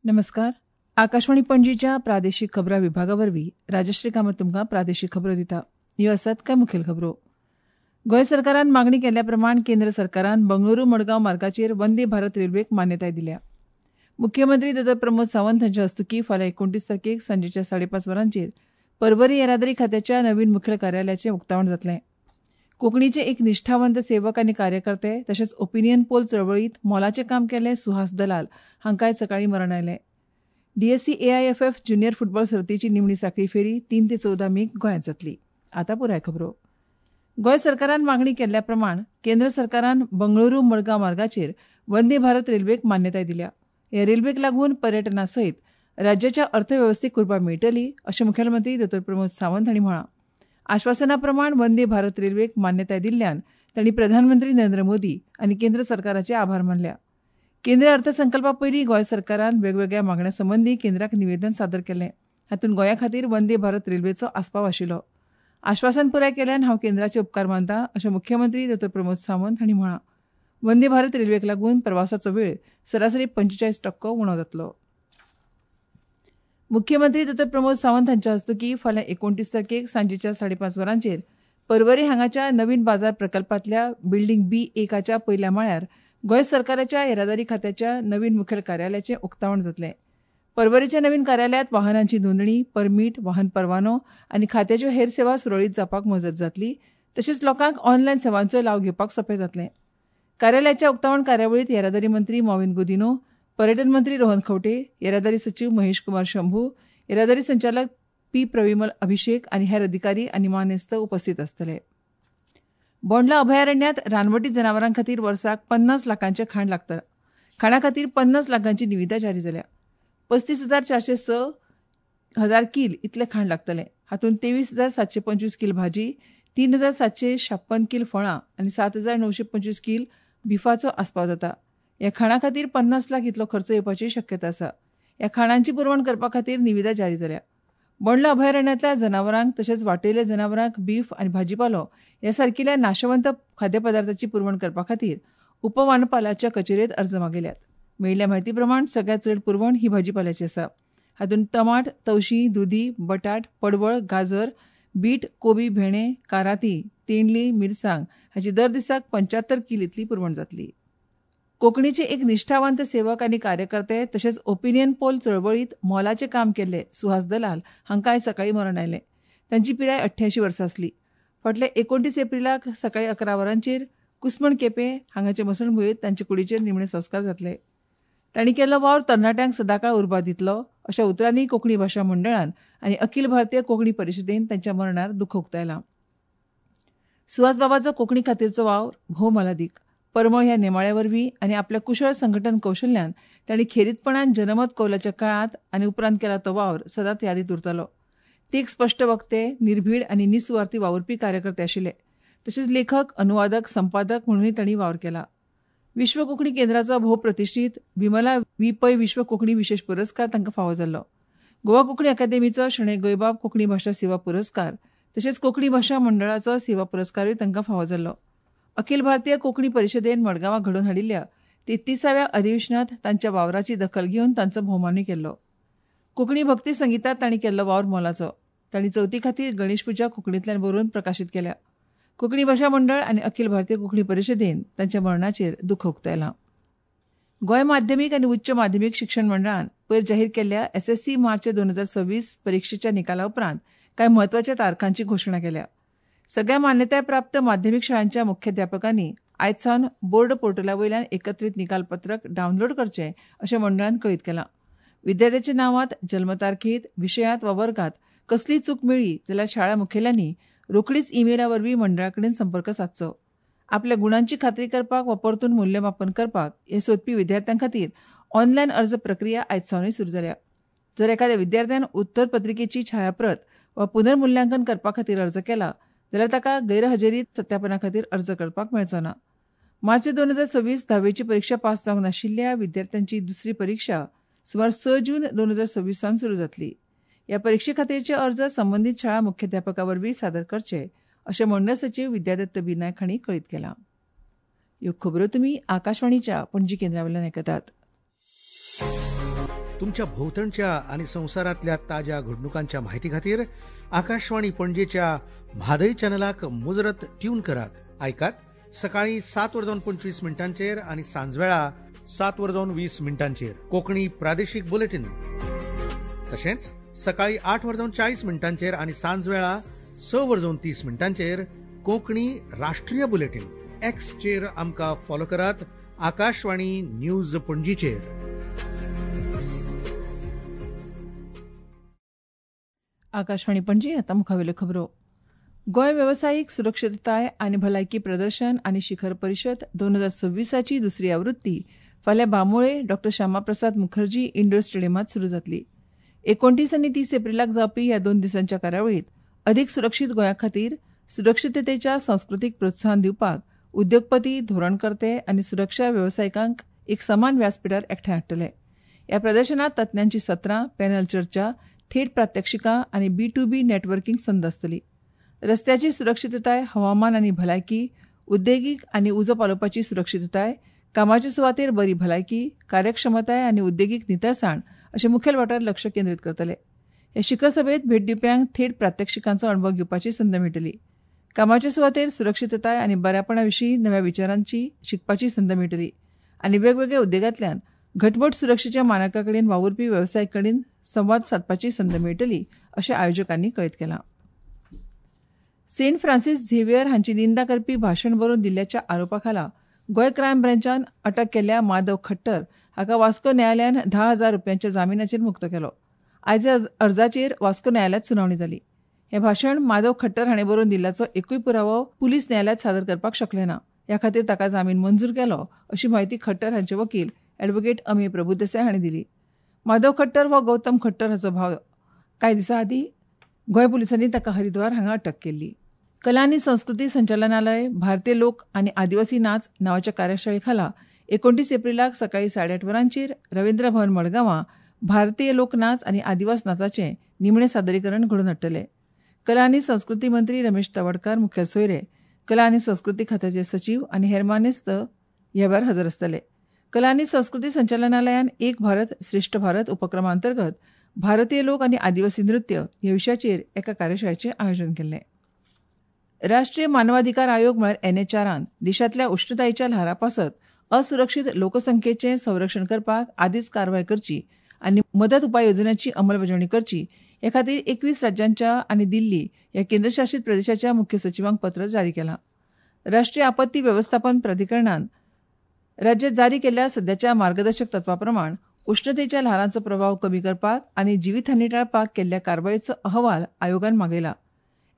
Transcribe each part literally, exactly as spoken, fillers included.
नमस्कार. आकाशवाणी पणजीच्या प्रादेशीक खबरां विभागा वरवीं राजश्री कामत तुमकां प्रादेशीक खबरो दिता. ह्यो आसात कांय मुखेल खबरो. गोंय सरकारान मागणी केल्ल्या प्रमाण केंद्र सरकारान बंगळुरू मडगांव मार्गाचेर वंदे भारत रेल्वेक मान्यताय दिल्या. मुख्यमंत्री दोतोर प्रमोद सावंत हांच्या हस्तुकीं फाल्यां एकोणतीस तारखेक सांजेच्या साडेपांच वरांचेर पर्वरी येरादारी खात्याच्या नवीन मुखेल कार्यालयाचें उक्तावण जातलें. कोंकणीचे एक निश्ठावंत सेवक आनी कार्यकर्ते तशेंच ओपिनियन पोल चळवळींत मोलाचें काम केल्ले सुहास दलाल हांकां आयज सकाळीं मरण आयलें. डीएससी एआयएफएफ ज्युनियर फुटबॉल सर्तीची निमणी साखळी फेरी तीन ते चवदा मेक गोंयांत जातली. आतां पुराय खबरो. गोंय सरकारान मागणी केल्ल्या प्रमाण केंद्र सरकारान बंगळुरू मडगांव मार्गाचेर वंदे भारत रेल्वेक मान्यताय दिल्या. ह्या रेल्वेक लागून पर्यटना सयत राज्याच्या अर्थवेवस्थेक उर्बा मेळटली अशें मुखेलमंत्री दोतोर प्रमोद सावंत हांणी म्हळां. आश्वासना प्रमाण वंदे भारत रेल्वेक मान्यताय दिल्ल्यान तांणी प्रधानमंत्री नरेंद्र मोदी आनी केंद्र सरकाराचे आभार मानल्या. केंद्रीय अर्थसंकल्पा पयलीं गोंय सरकारान वेगवेगळ्या मागण्यां संबंदी केंद्राक निवेदन सादर केलें. हातूंत गोंया खातीर वंदे भारत रेल्वेचो आस्पाव आशिल्लो. आश्वासन पुराय केल्यान हांव केंद्राचे उपकार मानता अशें मुख्यमंत्री दोतोर प्रमोद सावंत हांणी म्हळां. वंदे भारत रेल्वेक लागून प्रवासाचो वेळ सरासरी पंचेचाळीस टक्को उणो जातलो. मुख्यमंत्री दोतोर प्रमोद सावंत हांच्या हस्तुकीं फाल्यां एकोणतीस तारखेक सांजेच्या साडेपांच वरांचेर पर्वरी हांगाच्या नवीन बाजार प्रकल्पांतल्या बिल्डींग बी एकाच्या पयल्या माळ्यार गोंय सरकाराच्या येरादारी खात्याच्या नवीन मुखेल कार्यालयाचें उक्तावण जातलें. पर्वरीच्या नवीन कार्यालयांत वाहनांची नोंदणी, परमीट, वाहन परवानो आनी खात्याच्यो हेर सेवा सुरळीत जावपाक मजत जातली. तशेंच लोकांक ऑनलायन सेवांचो लाव घेवपाक सोंपें जातलें. कार्यालयाच्या उक्तावण कार्यावळींत येरादारी मंत्री मॉविन गुदिन्हो, पर्यटन मंत्री रोहन खंवटे, येरादारी सचीव महेश कुमार शंभू, येरादारी संचालक पी प्रविमल अभिषेक आनी हेर अधिकारी आनी मानेस्त उपस्थित आसतले. बोंडला अभयारण्यांत रानवटी जनावरां खातीर वर्साक पन्नास लाखांचें खाण लागता. खाणा खातीर पन्नास लाखांची निविदा जारी जाल्या. पस्तीस हजार चारशे स हजार कील इतलें खाण लागतलें. हातूंत तेवीस हजार सातशे पंचवीस कील भाजी, तीन हजार सातशे छाप्पन कील फळां आनी सात हजार णवशे पंचवीस कील बिफाचो आस्पाव जाता. ह्या खाणा खातीर पन्नास लाख इतलो खर्च येवपाची शक्यता आसा. ह्या खाणांची पुरवण करपा खातीर निविदा जारी जाल्या. बोंडला अभयारण्यांतल्या जनावरांक तशेंच वाटयल्ल्या जनावरांक बीफ आनी भाजीपालो ह्या सारकिल्या नाशवंत खाद्यपदार्थाची पुरवण करपा खातीर उपवनपालाच्या कचेरेंत अर्ज मागयल्यात. मेळिल्ल्या म्हायती प्रमाण सगळ्यांत चड पुरवण ही भाजीपाल्याची आसा. हातूंत टमाट, तवशीं, दुदी, बटाट, पडवळ, गाजर, बीट, कोबी, भेणे, काराती, तेंडली, मिरसांग हाची दर दिसाक पंच्यात्तर कील इतली पुरवण जातली. कोंकणीचे एक निश्ठावंत सेवक आनी कार्यकर्ते तशेंच ओपिनियन पोल चळवळींत मोलाचें काम केल्ले सुहास दलाल हांकां आयज सकाळीं मरण आयलें. तांची पिराय अठ्ठ्यायशीं वर्सां आसली. फाटल्या एकोणतीस एप्रिलाक सकाळीं अकरा वरांचेर कुसमण केपें हांगाचे मसणभुंयेंत तांचे कुडीचेर निमणे संस्कार जातले. तांणी केल्लो वावर तरणाट्यांक सदांकाळ उर्बा दितलो अशा उतरांनी कोंकणी भाशा मंडळान आनी अखिल भारतीय कोंकणी परिशदेन तांच्या मरणार दुख्ख उक्तायलां. सुहास बाबाचो कोंकणी खातीरचो वावर भोव मोलादीक. परमळ ह्या नेमाळ्या वरवीं आनी आपल्या कुशळ संघटन कौशल्यान तांणी खेरीतपणान जनमत कौलाच्या काळांत आनी उपरांत केला तो वावर सदांच यादींत उरतलो. ते एक स्पश्ट वक्ते, निर्भीड आनी निसुवार्थी वावुरपी कार्यकर्ते आशिल्ले. तशेंच लेखक, अनुवादक, संपादक म्हणूनय तांणी वावर केला. विश्व कोंकणी केंद्राचो भोव प्रतिश्ठीत विमला वी पै विश्व कोंकणी विशेष पुरस्कार तांकां फावो जाल्लो. गोवा कोंकणी अकादेमीचो शणै गोंयबाब कोंकणी भाशा सेवा पुरस्कार तशेंच कोंकणी भाशा मंडळाचो सेवा पुरस्कारूय तांकां फावो जाल्लो. अखिल भारतीय कोंकणी परिशदेन मडगांवां घडोवन हाडिल्ल्या तेत्तिसाव्या अधिवेशनांत तांच्या वावराची दखल घेवन तांचो भोवमानूय केल्लो. कोंकणी भक्ती संगितांत तांणी केल्लो वावर मोलाचो. तांणी चवथी खातीर गणेश पुजा कोंकणींतल्यान बरोवन प्रकाशीत केल्या. कोंकणी भाशा मंडळ आनी अखिल भारतीय कोंकणी परिशदेन तांच्या मरणाचेर दुख्ख उक्तायलां. गोंय माध्यमीक आनी उच्च माध्यमीक शिक्षण मंडळान पयर जाहीर केल्ल्या एसएससी मार्च दोन हजार सव्वीस परिक्षेच्या निकाला उपरांत कांय म्हत्वाच्या तारखांची घोशणा केल्या. सगळ्या मान्यताय प्राप्त माध्यमीक शाळांच्या मुख्याध्यापकांनी आयज सावन बोर्ड पोर्टला वयल्यान एकत्रीत निकाल पत्रक डावनलोड करचें अशें मंडळान कळीत केलां. विद्यार्थ्याच्या नांवांत, जल्मतारखेत, विशयांत वा वर्गांत कसलीय चूक मेळ्ळी जाल्यार शाळा मुखेल्यांनी रोखडीच ईमेला वरवीं मंडळा कडेन संपर्क सादचो. आपल्या गुणांची खात्री करपाक वा परतून मूल्यमापन करपाक हे सोदपी विद्यार्थ्यां खातीर ऑनलायन अर्ज प्रक्रिया आयज सावनूय सुरू जाल्या. जर एखाद्या विद्यार्थ्यान उत्तरपत्रिकेची छायाप्रत वा पुनर्मुल्यांकन करपा खातीर अर्ज केला जाल्यार ताका गैरहजेरीत सत्यापना खातीर अर्ज करपाक मेळचो ना. मार्च दोन हजार सव्वीस धावेची परिक्षा पास जावंक नाशिल्ल्या विद्यार्थ्यांची दुसरी परिक्षा सुमार स जून दोन हजार सव्वीस सावन सुरू जातली. ह्या परिक्षे खातीरचे अर्ज संबंदीत शाळा मुख्याध्यापका वरवीं सादर करचे अशें मंडळ सचीव विद्यादत्त बी नायक हांणी कळीत केलां. ह्यो खबरो तुमी आकाशवाणीच्या पणजी केंद्रा वयल्यान आयकतात. तुमच्या भोवतणच्या आनी संवसारांतल्या ताज्या घडणुकांच्या माहिती खातीर आकाशवाणी पणजेच्या म्हादय चॅनलाक मुजरत ट्यून करात. आयकात सकाळी सात वर जावन पंचवीस मिनटांचेर आनी सांजवेळा सात वर जावन वीस मिनटांचेर कोंकणी प्रादेशीक बुलेटीन. तशेंच सकाळी आठ वर जावन चाळीस मिनटांचेर आनी सांजवेळा स वर जावन तीस मिनटांचेर कोंकणी राष्ट्रीय बुलेटीन. एक्सचेर आमकां फॉलो करात आकाशवाणी न्यूज पणजीचेर. आकाशवाणी पणजी. आतां मुखावेल्यो खबरो. गोंय वेवसायीक सुरक्षितताय आनी भलायकी प्रदर्शन आनी शिखर परिशद दोन हजार सव्वीसाची दुसरी आवृत्ती फाल्यां बांबोळे डॉक्टर श्यामाप्रसाद मुखर्जी इंडोर स्टेडियमांत सुरू जातली. एकोणतीस आनी तीस एप्रिलाक जावपी ह्या दोन दिसांच्या कार्यावळींत अदीक सुरक्षीत गोंया खातीर सुरक्षिततेच्या संस्कृतीक प्रोत्साहन दिवपाक उद्योगपती, धोरणकर्ते आनी सुरक्षा वेवसायिकांक एक समान व्यासपिठार एकठांय हाडटले. ह्या प्रदर्शनांत तज्ञांची सत्रां, पॅनल चर्चा, थेट प्रात्यक्षिकां आनी बी टू बी नॅटवर्किंग संद आसतली. रस्त्याची सुरक्षितताय, हवामान आनी भलायकी, उद्देगीक आनी उजो पालोवपाची सुरक्षितताय, कामाचे सुवातेर बरी भलायकी, कार्यक्षमताय आनी उद्देगीक नितळसाण अशे मुखेल वाठार लक्ष केंद्रीत करतले. हे शिखर सभेत भेट दिवप्यांक थेट प्रात्यक्षिकांचो अणभव घेवपाची संद मेळटली. कामाचे सुवातेर सुरक्षितताय आनी बऱ्यापणा विशीं नव्या विचारांची शिकपाची संद मेळटली आनी वेगवेगळ्या उद्देगांतल्यान घटमूट सुरक्षेच्या मानका कडेन वावुरपी वेवसायिक कडेन संवाद सादपाची संद मेळटली अशें आयोजकांनी कळीत केलां. सेंट फ्रांसीस झेवियर हांची निंदा करपी भाशण बरोवन दिल्ल्याच्या आरोपा खाला गोंय क्रायम ब्रँचान अटक केल्ल्या माधव खट्टर हाका वास्को न्यायालयान धा हजार रुपयांच्या जामिनाचेर मुक्त केलो. आयज अर्जाचेर वास्को न्यायालयांत सुनावणी जाली. हें भाशण माधव खट्टर हाणें बरोवन दिल्ल्याचो एकूय पुरावो पुलीस न्यायालयांत सादर करपाक शकले ना. ह्या खातीर ताका जामीन मंजूर केलो अशी म्हायती खट्टर हांचे वकील ॲडव्होकेट अमेय प्रभुदेसाय हांणी दिली. माधव खट्टर हो गौतम खट्टर हाचो भाव. कांय दिसां आदीं गोंय पुलिसांनी ताका हरिद्वार हांगा अटक केल्ली. कला आनी संस्कृती संचालनालय भारतीय लोक आनी आदिवासी नाच नांवाच्या कार्यशाळे खाला एकोणतीस एप्रिलाक सकाळी साडेआठ वरांचेर रवींद्र भवन मडगांवां भारतीय लोक नाच आनी आदिवास नाचाचें निमणें सादरीकरण घडोवन हाडटले. कला आनी संस्कृती मंत्री रमेश तवडकार मुखेल सोयरे, कला आनी संस्कृती खात्याचे सचीव आनी हेर मानेस्त ह्या वेळार हजर आसतले. कला आनी संस्कृती संचालनालयान एक भारत श्रेष्ठ भारत उपक्रमा अंतर्गत भारतीय लोक आनी आदिवासी नृत्य ह्या विशयाचेर एका कार्यशाळेचें आयोजन केल्लें. राष्ट्रीय मानवाधिकार आयोग म्हळ्यार एन एच आरान देशांतल्या उश्णतायेच्या ल्हारा पासत असुरक्षीत लोकसंख्येचें संरक्षण करपाक आदींच कारवाय करची आनी मदत उपाय येवजण्यांची अंमलबजावणी करची हे खातीर एकवीस राज्यांच्या आनी दिल्ली ह्या केंद्रशासीत प्रदेशाच्या मुख्य सचिवांक पत्र जारी केलां. राष्ट्रीय आपत्ती वेवस्थापन प्राधिकरणान राज्यात जारी केल्ल्या सद्याच्या मार्गदर्शक तत्वा प्रमाण उश्णतेच्या ल्हारांचो प्रभाव कमी करपाक आनी जिवीतहानी टाळपाक केल्ल्या कारवायेचो अहवाल आयोगान मागयला.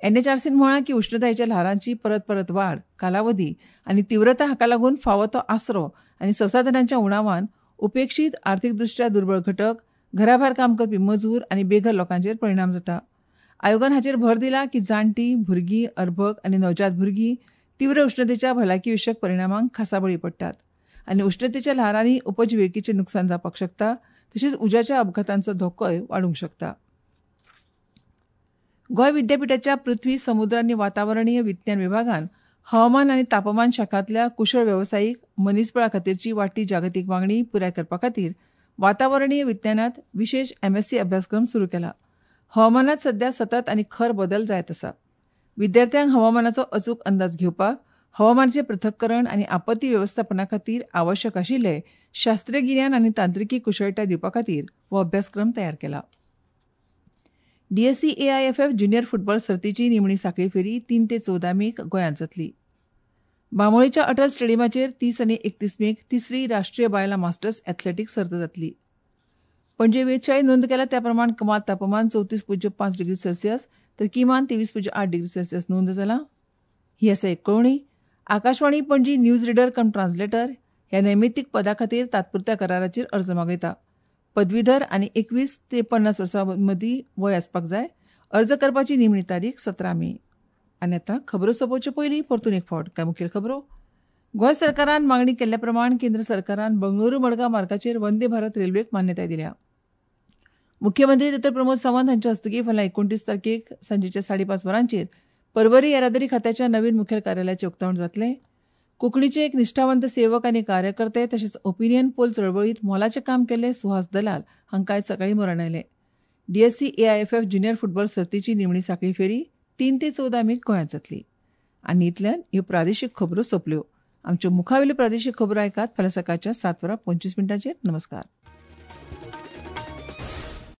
एनएचआरसीन म्हळां की उश्णतायेच्या ल्हारांची परत परत वाड, कालावधी आनी तीव्रता हाका लागून फावो तो आसरो आनी संसाधनांच्या उणावान उपेक्षीत आर्थीकदृष्ट्या दुर्बळ घटक, घराभायर काम करपी मजूर आनी बेघर लोकांचेर परिणाम जाता. आयोगान हाचेर भर दिला की जाणटीं, भुरगीं, अर्भक आनी नवजात भुरगीं तीव्र उश्णतेच्या भलायकी विशयक परिणामांक खासा बळी पडटात आनी उश्णतेच्या ल्हारांनी उपजिविकेचें नुकसान जावपाक शकता, तशेंच उज्याच्या अपघातांचो धोकोय वाडूंक शकता. गोंय विद्यापिठाच्या पृथ्वी, समुद्र आनी वातावरणीय विज्ञान विभागान हवामान आनी तापमान शाखांतल्या कुशळ वेवसायीक मनीसबळा खातीरची वाडटी जागतीक मागणी पुराय करपा खातीर वातावरणीय विज्ञानांत विशेश एमएससी अभ्यासक्रम सुरू केला. हवामानांत सध्या सतत आनी खर बदल जायत आसा. विद्यार्थ्यांक हवामानाचो अचूक अंदाज घेवपाक, हवामानाचें पृथक्करण आनी आपत्ती वेवस्थापना खातीर आवश्यक आशिल्ले शास्त्रीय गिन्यान आनी तांत्रिकी कुशळटाय दिवपा खातीर हो अभ्यासक्रम तयार केला. D S C A I F F junior football सर्तीची निमणी साखळी फेरी तीन ते चवदा मेक गोंयांत जातली. बांबोळेच्या अटल स्टेडियमाचेर तीस आनी एकतीस मेक तिसरी राष्ट्रीय बायलां मास्टर्स एथलेटिक्स सर्त जातली. पणजे वेधशाळेत नोंद केल्या त्या प्रमाण कमाल तापमान चवतीस पूज्य पांच डिग्री सेल्सियस तर किमान तेवीस पूज्य आठ डिग्री सेल्सियस नोंद जाला. ही आसा एक कळोवणी. Akashvani Panaji news reader cum translator ह्या नैमित्तीक पदा खातीर तात्पुरत्या कराराचेर अर्ज मागयता. पदवीधर आनी एकवीस ते पन्नास वर्सां मदीं वय आसपाक जाय. अर्ज करपाची निमणी तारीख सतरा मे. आनी आतां खबरो सोंपोवचे पयलीं परतून एक फावट कांय मुखेल खबरो. गोंय सरकारान मागणी केल्ल्या प्रमाण केंद्र सरकारान बंगळुरू मडगांव मार्गाचेर वंदे भारत रेल्वेक मान्यताय दिल्या. मुख्यमंत्री दोतोर प्रमोद सावंत हांच्या हस्तुकीं फाल्यां एकोणतीस तारखेक सांजेच्या साडेपांच वरांचेर पर्वरी येरादारी खात्याच्या नवीन मुखेल कार्यालयाचें उक्तावण जातलें. कोंकणीचे एक निश्ठावंत सेवक आनी कार्यकर्ते तशेंच ओपिनियन पोल चळवळींत मोलाचें काम केल्ले सुहास दलाल हांकां आयज सकाळीं मरण आयलें. डीएससी एआयएफएफ ज्युनियर फुटबॉल सर्तीची निमणी साखळी फेरी तीन ते चवदा मेक गोंयांत जातली. आनी इतल्यान ह्यो प्रादेशीक खबरो सोंपल्यो. आमच्यो मुखावेल्यो प्रादेशीक खबरो आयकात फाल्यां सकाळच्या सात वरां पंचवीस मिनटांचेर. नमस्कार.